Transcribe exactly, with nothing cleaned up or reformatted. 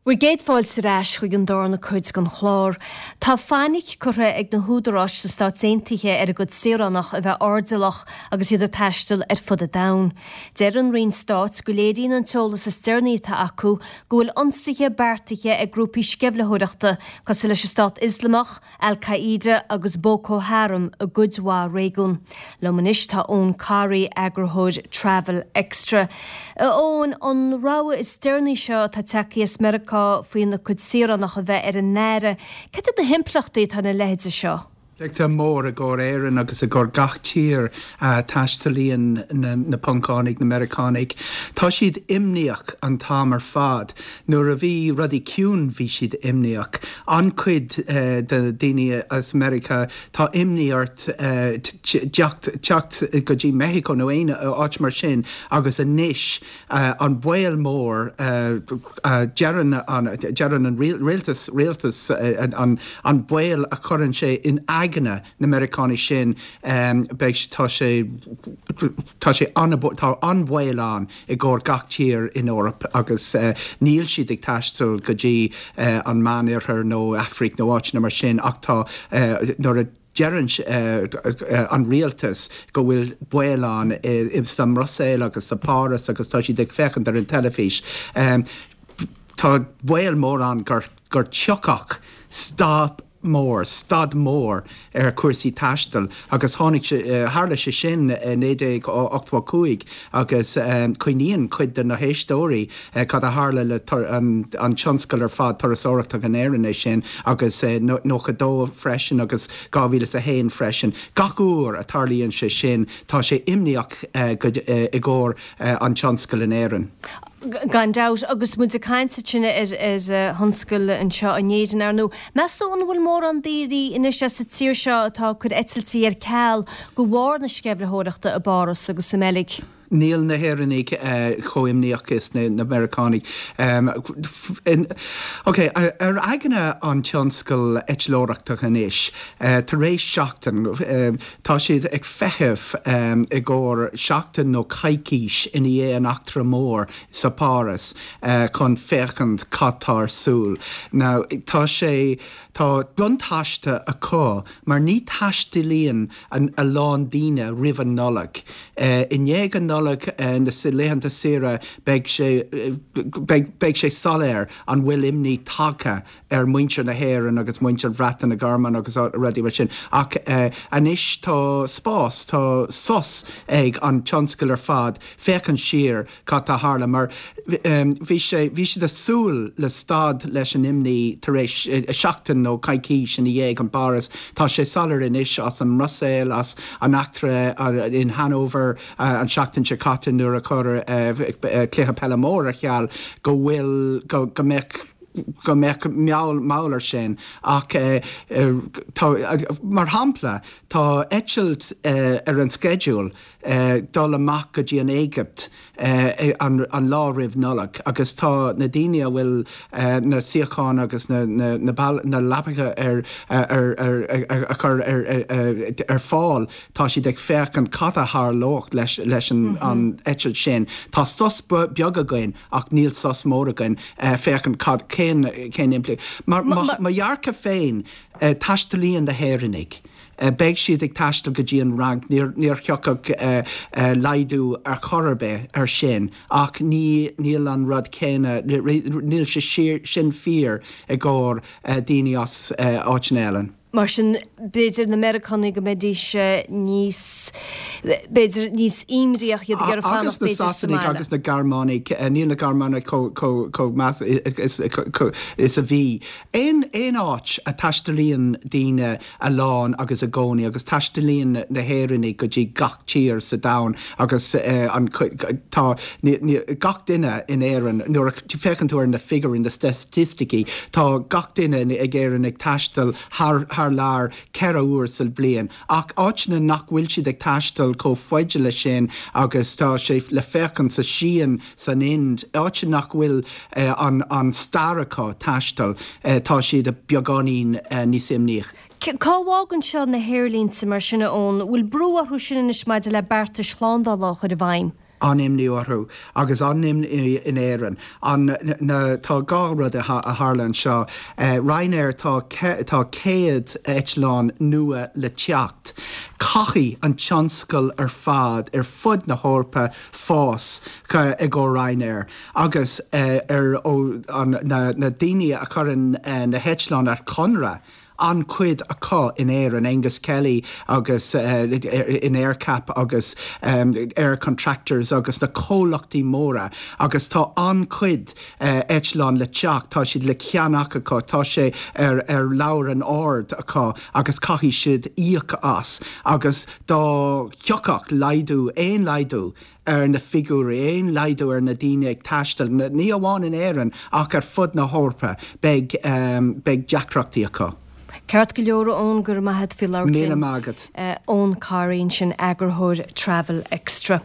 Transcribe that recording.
Bhur gcéad fáilte ar ais chuig an darna cuid den chlár. Tá fainic curtha ag na húdaráis sna Stáit Aontaithe ar a gcuid saoránach a bheith airdeallach agus iad ag taisteal ar fud an domhain. Deir an Roinn Stáit go léiríonn an t-eolas is deireanaí atá acu go bhfuil ionsaithe beartaithe ag grúpaí sceimhlitheoireachta cosúil leis an Stát Ioslamach, Al-Qaeda agus Boko Haram i gcuid mhaith réigiún. Liom anois tá Eoin Corry, eagarthóir Travel Extra. Eoin, an rabhadh is deireanaí seo atá tagtha as Meiriceá faoina cuid saoránach a bheith ar a n-aire. Cad iad na himpleachtaí atá ina leithéide seo? Tá mór i gcomhair Éireann agus i gcomhair gach tír uh, taistealaíonn na, na Poncánaigh na Meiriceánaigh. Tá siad imníoch an t-am ar fad. Nuair a bhí rudaí ciúin bhí siad imníoch. An-chuid uh, de daoine as Meiriceá tá imní ort uh, teacht go dtí Mexico nó aon áit mar sin agus anois uh, an baol mór uh, uh, deireann an, an rialtas rialtas uh, an, an baol a chuireann sé in aigne na Meiriceánaigh sin um, beidh tá sé tá sé tá an-bhaol ann i gcomhair gach tír in Eoraip agus uh, níl siad ag taisteal go dtí uh, an Meánoirthear nó Afraic nó áit mar sin ach tá uh, nuair a deireann uh, an rialtas go bhfuil baol ann i sa mBruiséil agus sa Páras agus tá siad ag féachaint ar an teilifís. Um, tá baol mór ann gur gur tiocfadh stop mór, stad mór ar cúrsaí taistil agus tháinig tharla sé sin naoi déag ochtó cúig agus um, cuimhníonn cuid de na héisteoirí uh, cad a tharla le an, an tionscal ar fad turasóireachta in Éirinn é sin agus uh, nócha dó freisin agus dhá mhíle a haon freisin. Gach uair a tarlaíonn sé sin tá sé imníoch uh, uh, i gcomhair uh, an tionscal in Éirinn. Gan dabht agus muid ag caint sin ar ar thionscal anseo in Éirinn ar ndóigh. Meas tú an bhfuil mórán daoine anois sa tír seo atá ag cur eitiltí ar ceal de bharr na sceimhlitheoireachta i bPáras agus sa mBeilg. Níl na hÉireannaigh uh, chomh imníoch is na, na Meiriceánaigh. Um, in, okay, ar, ar aigne an tionscal eitleoireachta anois, uh, tar éis seachtain uh, tá siad ag feitheamh um, i gcomhair seachtain nó coicís i ndiaidh an eachtra mór sa Páras uh, chun féachaint cad tá ar siúl. Now, tá sé tá buntáiste acu mar ní taistealaíonn an a lán daoine roimh an Nollaig. Uh, I ndiaidh an Nollaig uh, na laethanta saoire beidh sé beidh sé soiléir an bhfuil imní tagtha ar muintir na hÉireann agus muintir Bhreataine na Gearmáine agus rudaí mar sin ach uh, anois tá spás tá sos ag an tionscal ar fad féachaint siar cad a tharla mar um, bhí sé bhí siad ag súil le stad leis an imní tar éis uh, seachtain nó coicís ina dhiaidh an Páras tá sé soiléir anois as an mBruiséil as an eachtra uh, in Hanover uh, an seachtain seo caite nuair a cuireadh uh, cluiche peile mór ar ceal go bhfuil go, go mbeadh go mbeadh meall mar sin ach uh, uh, tá, uh, mar shampla tá eitilt uh, ar an schedule uh, dul amach go dtí an Éigipt uh, an, an lá roimh Nollaig agus tá na daoine a bhfuil uh, na suíocháin agus na, na, na, na leapacha ar, ar, ar, ar, ar chur ar, ar, ar fáil tá siad ag féachaint cad a tharlódh leis, leis an, mm -hmm. an eitilt sin. Tá sos beag againn ach níl sos mór againn uh, féachaint cad cén cén impli. Mar mo dhearcadh féin uh, taistealaíonn na hÉireannaigh. Uh, beidh siad ag taisteal go dtí an Fhrainc níor níor thiocfadh uh, uh, laghdú ar chor ar bith ar sin ach ní níl an rud céanna níl sé sin fíor i gcomhair uh, daoine as uh, áiteanna eile. Mar sin b'fhéidir na Meiriceánaigh go mbeidís níos b'fhéidir níos imníoch iad gur agus na Sasanaigh agus na Gearmánaigh níl na Gearmánaigh chomh meas is a bhí. Aon aon áit a taistealaíonn daoine a lán agus i gcónaí agus taistealaíonn na hÉireannaigh go dtí gach tír sa domhan agus an tá gach duine in Éirinn nuair féachann tú ar na figiúirí na staitisticí tá gach duine ag Éirinn ag taisteal thar thar lear ceithre huaire sa bhliain ach áiteanna nach bhfuil siad ag taisteal chomh fada le sin agus tá sé le féachaint sa Sín san Ind áit nach bhfuil uh, an, an stair acu taisteal uh, tá siad a beagáinín uh, níos imníoch. Cá bhfágann seo na haerlínte mar sin ón bhfuil brú orthu sin anois maidir le beartais shlándála a chur i bhfeidhm. An-imní orthu agus an-imní in Éirinn. An na tá dhá rud a tharla anseo. Ryanair tá tá céad eitleán nua le teacht. Caithfidh an tionscal ar fad ar fud na hEorpa fás i gcomhair Ryanair agus ar ó an na na daoine a chuireann na heitleáin ar conradh an-chuid acu in Éirinn Angus Kelly agus uh, in AerCap agus um, Air Contractors agus na comhlachtaí móra agus tá an-chuid uh, eitleán le teacht tá siad le ceannach acu tá sé ar ar leabhar an ord acu agus caithfidh siad íoc as agus dá thiocfadh laghdú aon laghdú ar na figiúirí aon laghdú ar na daoine ag taisteal ní amháin in Éirinn ach ar fud na hEorpa beidh um, beidh deacrachtaí acu. Ceart go leor ón gur maith fi Míle maith agat. Eoin Carr ansin eagarthóir Travel Extra.